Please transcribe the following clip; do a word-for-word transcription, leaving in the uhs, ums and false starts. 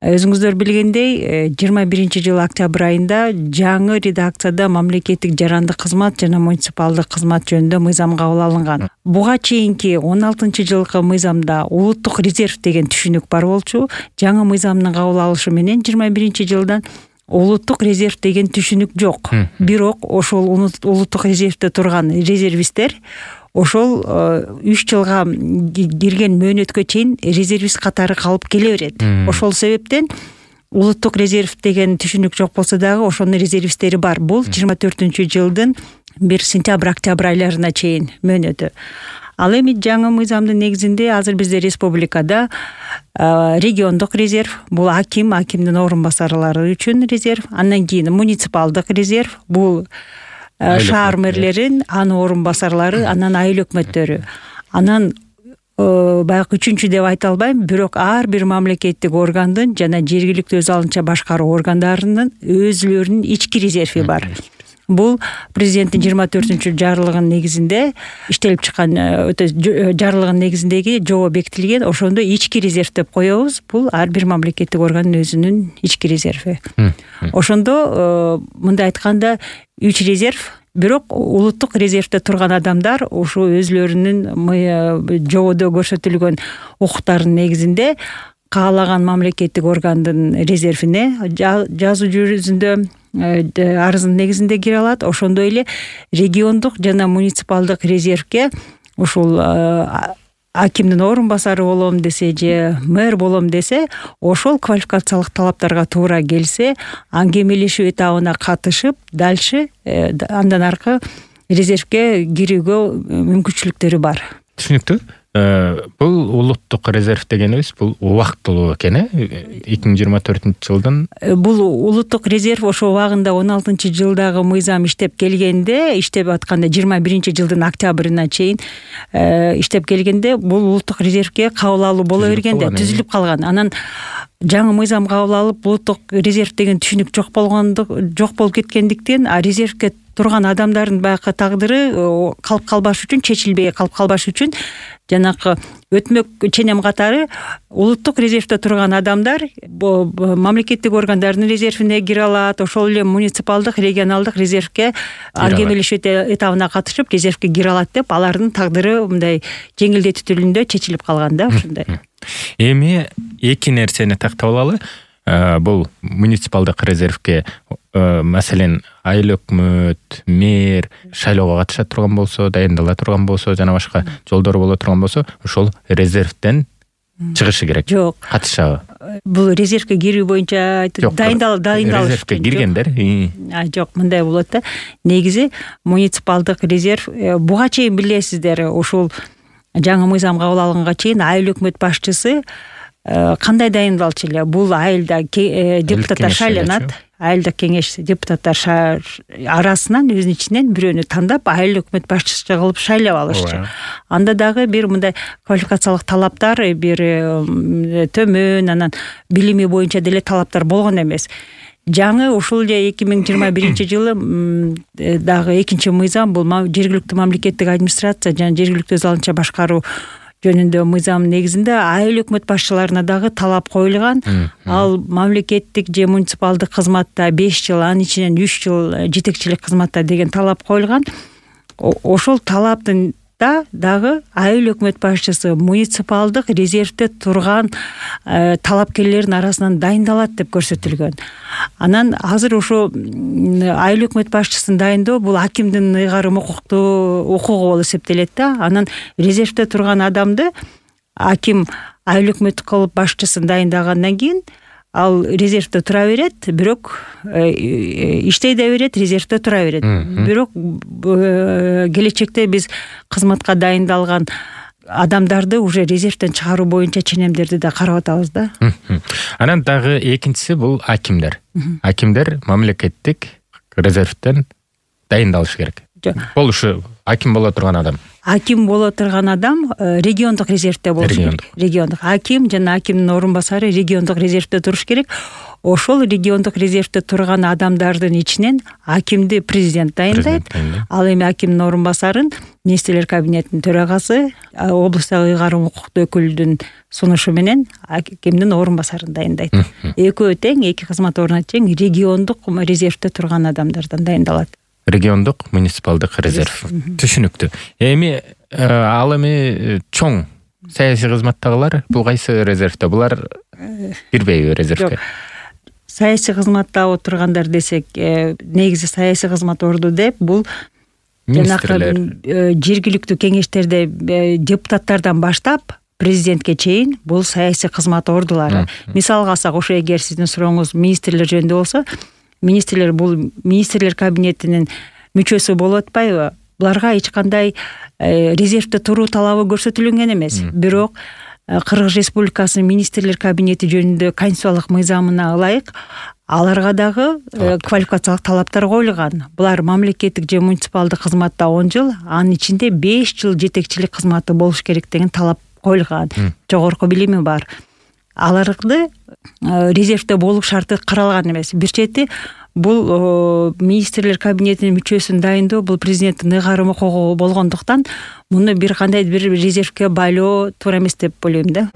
Өзүңүздөр билгендей, жыйырма биринчи жылы октябрь айында жаңы редакцияда мамлекеттик жарандык кызмат жана муниципалдык кызмат жөнүндө мыйзам кабыл алынган. Буга чейинки он алтынчы жылкы мыйзамда улуттук резерв деген түшүнүк бар болчу. Жаңы мыйзамдын кабыл алышы менен жыйырма биринчи жылдан улуттук резерв деген түшүнүк жок. Бирок ошол улуттук резервде турган резервисттер ошол үч жылга кирген мөөнөткө чейин резервист катары калып келе берет. Ошол себептен улуттук резерв деген түшүнүк жок болсо дагы ошонун резервисттери бар. Бул жыйырма төртүнчү жылдын бир сентябрь октябрь айларына чейин мөөнөтү. Ал эми жаңы мыйзамдын негизинде азыр бизде республикада региондук резерв, бул аким, акимдин орун басарлары үчүн резерв, андан кийин муниципалдык резерв, бул шаар мэрлерин, анын орун басарлары, анан айыл өкмөттөрү. Анан баягы үчүнчү деп айта албайм, бирок ар бир мамлекеттик органдын жана жергиликтүү өз алынча башкаруу органдарынын өзүлөрүнүн ички резерви бар. Бул президенттин жыйырма төртүнчү жарлыгынын негизинде иштелип чыккан өтө жарлыгынын негизиндеги жобо бекитилген. Ошондо ички резерв деп коебуз. Бул ар бир мамлекеттик органдын өзүнүн ички резерви. Ошондо мындай айтканда үч резерв, бирок улуттук резервде турган адамдар ушу өзүлөрүнүн жободо көрсөтүлгөн укуктарынын негизинде каалаган мамлекеттик органдын резервине жазуу жүзүндө арыздын негизинде кире алат. Ошондой эле региондук жана муниципалдык резервге ушул акимдин орун басары болом десе же мэр болом десе, ошол квалификациялык талаптарга туура келсе, аңгемелешүү этабына катышып, дальше андан аркы резервге кирүүгө мүмкүнчүлүктөрү бар. Түшүнүктүү. Бул улуттук резерв дегенибиз бул убактылуу экен, э? эки миң жыйырма төртүнчү жылдын. Бул улуттук резерв ошо убагында он алтынчы жылдагы мыйзам иштеп келгенде, иштеп атканда жыйырма биринчи жылдын октябрына чейин иштеп келгенде бул улуттук резервге кабыл алуу боло бергенде түзүлүп калган. Анан жаңы мыйзам кабыл алып, улуттук резерв деген түшүнүк жок болгондук, жок болуп кеткендиктен, а резервге турган адамдардын баягы тагдыры калып калбаш үчүн, чечилбей калып калбаш үчүн жанакы өтмөк ченем катары улуттук резервде турган адамдар мамлекеттик органдардын резервине кире алат, ошол эле муниципалдык, регионалдык резервге ангемелешүү этабына катышып резервге кире алат деп, алардын тагдыры мындай жеңилдетүү түрүндө чечилип калган да ушундай. Эми эки нерсени тактап алалы. Бул муниципалдык резервге маселен айыл өкмөт, мэр шайлоого катыша турган болсо, дайындала турган болсо, жана башка жолдор боло турган болсо, ошол резервден чыгышы керек. Жок. Катышабы? Бул резервге кирүү боюнча дайындал дайындалыш. Резервге киргендер. Жок, мындай болот да. Негизи муниципалдык резерв буга чейин билесиздер, ушул жаңы мыйзам кабыл алынганга чейин айыл өкмөт башчысы кандай дайындалчу эле? Бул айылда депутаттар шайланат, айылдык кеңеш депутаттар арасынан өзүнүн ичинен бирөөнү тандап айыл өкмөт башчысы кылып шайлап алышчу. Анда дагы бир мындай квалификациялык талаптар бир төмөн, анан билими боюнча деле талаптар болгон эмес. Жаңы ушул эле эки миң жыйырма биринчи жылы дагы экинчи мыйзам, бул жергиликтүү мамлекеттик администрация жана жергиликтүү өз алынча башкаруу жөнүндө мыйзам негизинде айыл өкмөт башчыларына дагы талап коюлган. Ал мамлекеттик же муниципалдык кызматта беш жыл, анын ичинен үч жыл жетекчилик кызматта деген талап коюлган. Ошол талаптын да дагы айыл өкмөт башчысы муниципалдык резервде турган талапкерлердин арасынан дайындалат деп көрсөтүлгөн. Анан азыр ошо айыл өкмөт башчысын дайындоо бул акимдин ыйгарым укуктуу укугу болуп эсептелет да. Анан резервде турган адамды аким айыл өкмөт кылып башчысын дайындагандан кийин ал резервде тура берет, бирок иштей да берет, резервде тура берет. Бирок келечекте биз кызматка дайындалган адамдарды уже резервден чыгаруу боюнча ченемдерди да карап атабыз да. Анан дагы экинчиси бул акимдер. Акимдер мамлекеттик резервден дайындалышы керек. Болушу аким боло турган адам. Аким боло турган адам региондук резервде болуш керек. Региондук аким жана акимдин орун басары региондук резервде туруш керек. ошол региондук резервде турган адамдардын ичинен акимди президент дайындайт. Ал эми акимдин орун басарын министрлер кабинетинин төрагасы облустагы ыйгарым укуктуу өкүлдүн сунушу менен акимдин орун басарын дайындайт. Экөө тең, эки кызмат ордуна тең региондук резервде турган адамдардан дайындалат. Региондук муниципалдык резерв. Түшүнүктүү. Эми ал эми чоң саясий кызматтагылар бул кайсы резервде? Булар кирбейби резервге? Саясий кызматта отургандар десек, негизи саясий кызмат орду деп бул министрлер, жергиликтүү кеңештерде депутаттардан баштап президентке чейин бул саясий кызмат ордулары. Мисалга алсак, ошо эгер сиздин сурооңуз министрлер жөнүндө болсо, министрлер бул министрлер кабинетинин мүчөсү болуп атпайбы? Буларга эч кандай резервде туруу талабы көрсөтүлгөн эмес. Бирок Кыргыз Республикасынын министрлер кабинети жөнүндө конституциялык мыйзамына ылайык аларга дагы квалификациялык талаптар коюлган. Булар мамлекеттик же муниципалдык кызматта он жыл, анын ичинде беш жыл жетекчилик кызматы болуш керек деген талап коюлган. Жогорку билими бар. Аларды резервде болуш шарты каралган эмес. Бир чети бул министрлер кабинетинин мүчөсүн дайындоо бул президенттин ыйгарым укугу болгондуктан муну бир кандай бир резервге байлоо туура эмес деп ойлойм да.